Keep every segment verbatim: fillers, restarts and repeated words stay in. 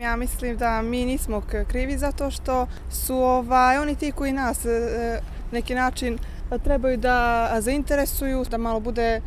Ja mislim da mi nismo krivi zato što su ovaj, oni ti koji nas neki način trebaju da zainteresuju, da malo bude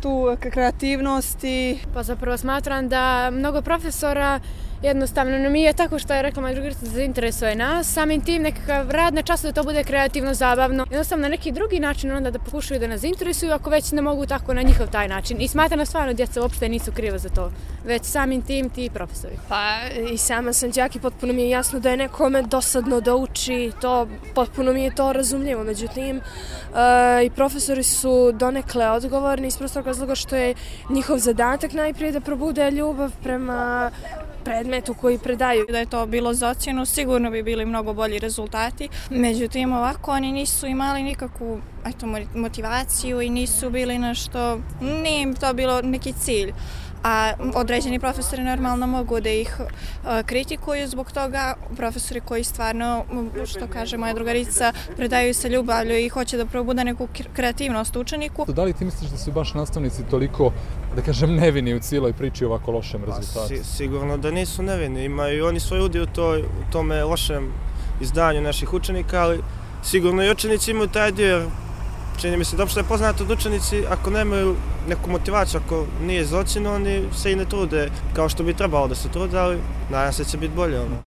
tu kreativnosti. Pa zapravo smatram da mnogo profesora jednostavno nije tako što je rekla moja drugarica da zainteresuje nas, samim tim nekakav rad na času da to bude kreativno, zabavno. Jednostavno na neki drugi način onda da pokušaju da nas zainteresuju ako već ne mogu tako na njihov taj način. I smatram da stvarno djeca uopšte nisu kriva za to, već samim tim ti profesori. Pa i sama sam đak i potpuno mi je jasno da je nekome dosadno da uči, to potpuno mi je to razumljivo. Međutim, e, i profesori su donekle odgovorni iz prostog razloga što je njihov zadatak najprije da probude ljubav prema predmetu koji predaju. Da je to bilo za ocjenu, sigurno bi bili mnogo bolji rezultati. Međutim, ovako oni nisu imali nikakvu eto, motivaciju i nisu bili nešto, nije im to bilo neki cilj. A određeni profesori normalno mogu da ih uh, kritikuju zbog toga. Profesori koji stvarno, što kaže moja drugarica, predaju se ljubavlju i hoće da probude neku kreativnost učeniku. Da li ti misliš da su baš nastavnici toliko, da kažem, nevini u cijeloj priči ovako lošem rezultatu? Si, sigurno da nisu nevini. Imaju oni svoj udio u, toj, u tome lošem izdanju naših učenika, ali sigurno i učenici imaju taj dio, jer čini mi se da uopšte je poznato da učenici ako nemaju neku motivaciju, ako nije za ocjenu, oni se i ne trude kao što bi trebalo da se trude, ali nadam se da će biti bolje.